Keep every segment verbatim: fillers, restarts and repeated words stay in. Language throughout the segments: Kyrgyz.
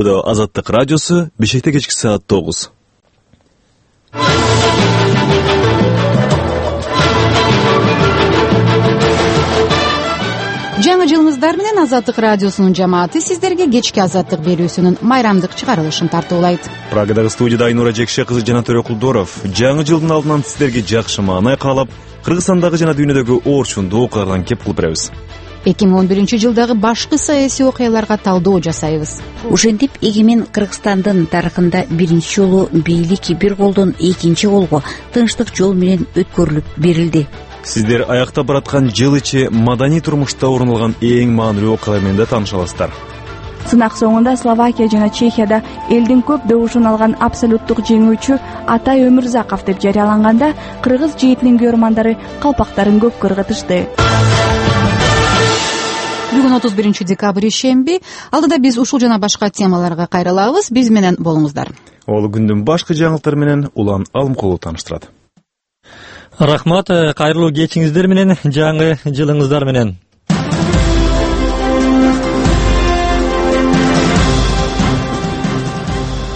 Азаттык радиосу Бишкекте кечки саат тогуз. Жаңы жылыңыздар менен Азаттык радиосунун жамааты сиздерге кечки азаттык берүүсүнүн майрамдык чыгарылышын тартуулайт. Прагадагы студияда Айнура Жекше кызы жана Төрөкулдоров жаңы жылдын алдынан сиздерге жакшы маанай каалап, Кыргызстандагы жана дүйнөдөгү орчундуу окуялардан кеп кылып беребиз. эки миң он биринчи жылдагы башкы саясий окуяларга талдоо жасайбыз. Ошентип эгемен Кыргызстандын тарыхында биринчи жолу бийлик бир колдон экинчи колго тынчтык жол менен өткөрүлүп берилди. Сиздер аякта бараткан жыл ичи маданий турмушта орун алган эң маанилүү окуялар менен да тааныша аласыздар. Сынак соңунда Словакия жана Чехияда элдин көп добушун алган абсолюттук жеңүүчү Атай Өмүрзаков деп жарыяланганда, кыргыз жээтинин көрмандары калпактарын көккө ыргытышты. Бүгүн отуз биринчи декабрь шемби. Алдыда биз ушул жана башка темаларга кайрылабыз. Биз менен болуңуздар. Ол күндүн башкы жаңылыктары менен Улан Алымкулов тааныштырат. Рахмат, кайрылуу кечиңиздер менен, жаңы жылыңыздар менен.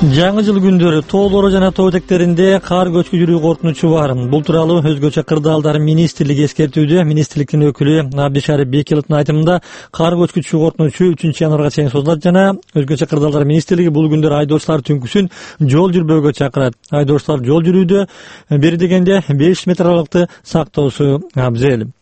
Жаңы жыл күндөрү тоолору жана тоо этектеринде кар көчкү жүрүү коркунучу бар. Бул тууралуу өзгөчө кырдаалдар министрлиги эскертүүдө. Министрликтин өкүлү Абдишарип Бекиловдун айтымында кар көчкүчү коркунучу үчүнчү январга чейин созулат жана өзгөчө кырдаалдар министрлиги бул күндөр айдоочулар түнкүсүн жол жүрбөөгө чакырат. Айдоочулар жол жүрүүдө бери дегенде беш метр аралыкты сактоосу абзел.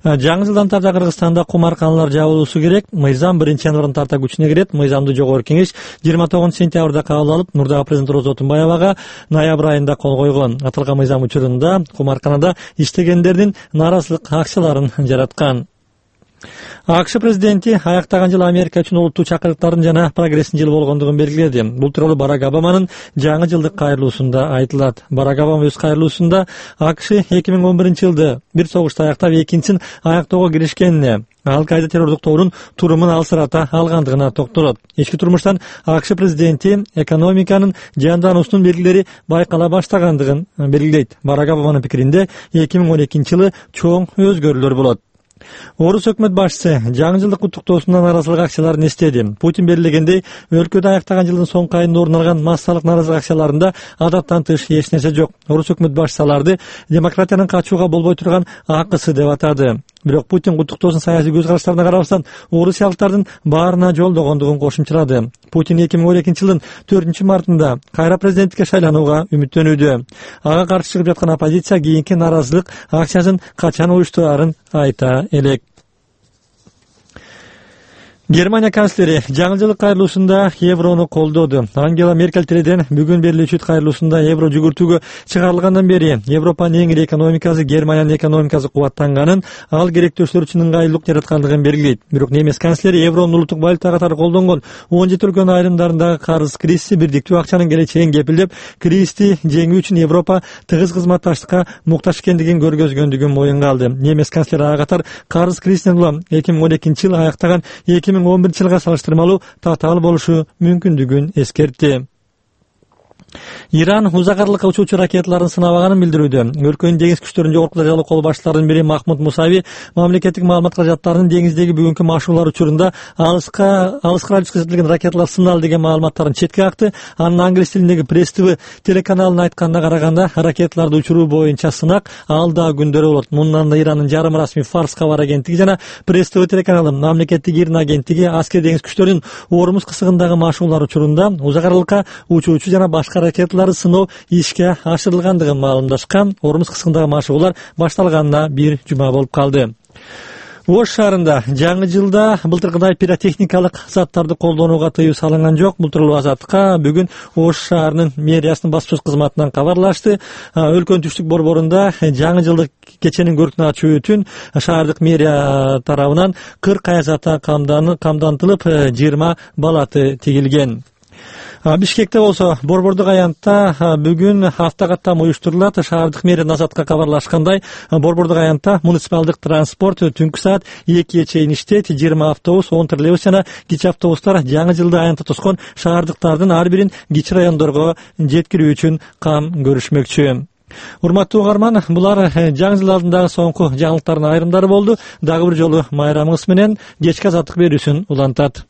Жаңы жылдан тарта Кыргызстанда кумарканалар жабылуусу керек. Мыйзам биринчи январдан тарта күчүнө кирет. Мыйзамды жогорку кеңеш жыйырма тогузунчу сентябрда кабыл алып, мурдагы президент Роза Отунбаевага ноябрь айында кол койгон. Аталган мыйзам учурунда кумарканада иштегендердин нааразылык акчаларын жараткан. АКШ президенти аяктаган жыл Америка үчүн улуттуу чакырыктардын жана прогресстин жылы болгондугун белгиледи. Бул тууралуу Барак Обаманын жаңы жылдык кайрылуусунда айтылат. Барак Обама өз кайрылуусунда АКШ эки миң он биринчи жылды бир согушта аяктап, экинчисин аяктоого киришкенине, Ал-Каида террордук тобунун турумун алсырата алгандыгына токтолот. Ички турмуштан АКШ президенти экономиканын жандануусунун белгилери байкала баштагандыгын белгилейт. Барак Обаманын пикиринде эки миң он экинчи жылы чоң өзгөрүүлөр болот. Орус өкмөт башчысы жаңы жылдык куттуктоосунда нааразылык акцияларын эстеди. Путин белгилегендей, өлкөдө аяктаган жылдын соңку айында орун алган массалык нааразылык акцияларында адаттан тыш эч нерсе жок. Орус өкмөт башчысы аларды демократиянын качууга болбой турган акысы деп атады. Бирок Путин куттуктоосунун саясий көз караштарына карабастан орусиялыктардын баарына жолдогондугун кошумчалады. Путин эки миң он экинчи жылдын төртүнчү мартында кайра президенттикке шайланууга үмүттөнүүдө. Ага каршы чыгып жаткан оппозиция кийинки нааразылык акциясын качан уюштурарын айта элек. Германия канцлери жаңы жылдык кайрылуусунда еврону колдоду. Ангела Меркель тиледен бүгүн берилүүчү кайрылуусунда евро жүгүртүүгө чыгарылгандан бери Европанын эң ири экономикасы Германиянын экономикасы кубаттанганын, ал керектөөчүлөр үчүн ыңгайлуулук жараткандыгын белгилейт. Бирок немис канцлери евронун улуттук валюта катары колдонгон он жети өлкөнүн айрымдарындагы карыз кризиси, бирдиктүү акчанын келечегин кепилдеп, кризисти жеңүү үчүн Европа тыгыз кызматташтыкка муктаж экендигин көргөзгөндүгүн моюнга алды. Немис канцлери ага катар карыз кризисинен улам эки миң он экинчи жылы аяктаган эки миң он биринчи жылга салыштырмалуу татаал болушу мүмкүндүгүн эскертти. Иран узак аралыкка учуучу ракеталарын сынабаганын билдирүүдө. Өлкөнүн деңиз күчтөрүнүн жогорку дәрежелүү кол башчыларынын бири Махмуд Мусави мамлекеттик маалымат каражаттарынын деңиздеги бүгүнкү машыгуулар учурунда алыска алыска радиуска жеткизилген ракеталар сыналды деген маалыматтарын четке какты. Анын англис тилиндеги Пресс ТВ телеканалынын айтканына караганда, ракеталарды учуруу боюнча сынак алда күндөрү болот. Мындан да Ирандын жарым расмий Фарс кабар агенттиги жана Пресс ТВ телеканалы мамлекеттик ирин агенттиги аскер деңиз күчтөрүнүн Ормуз кысыгындагы машыгуулар учурунда узак аралыкка учуучу жана башка ракеталарды сыноо ишке ашырылгандыгын маалымдашкан. Ормуз кысыгындагы машыгуулар башталганына бир жума болуп калды. Ош шаарында жаңы жылда былтыркыдай пиротехникалык заттарды колдонууга тыюу салынган жок. Бул тууралуу Азаттыкка бүгүн Ош шаарынын мэриясынын баспасөз кызматынан кабарлашты. Өлкөнүн түштүк борборунда жаңы жылдык кеченин көркүн ачуу үчүн шаардык мэрия тарабынан кырк аяз ата камдантылып, жыйырма балаты тигилген. Бишкекте болсо борбордук аянтта бүгүн автокаттам уюштурулат. Шаардык мэрия Азатка кабарлашкандай, борбордук аянтта муниципалдык транспорт түнкү саат экиге чейин иштейт. жыйырма автобус, он троллейбус жана кичи автобустар жаңы жылды аянтта тоскон шаардыктардын ар бирин кичи райондорго жеткирүү үчүн кам көрүшмөкчү. Урматтуу угарман, булар жаңы жыл алдындагы соңку жаңылыктардын айрымдары болду. Дагы бир жолу майрамыңыз менен кечки азаттык берүүсүн улантат.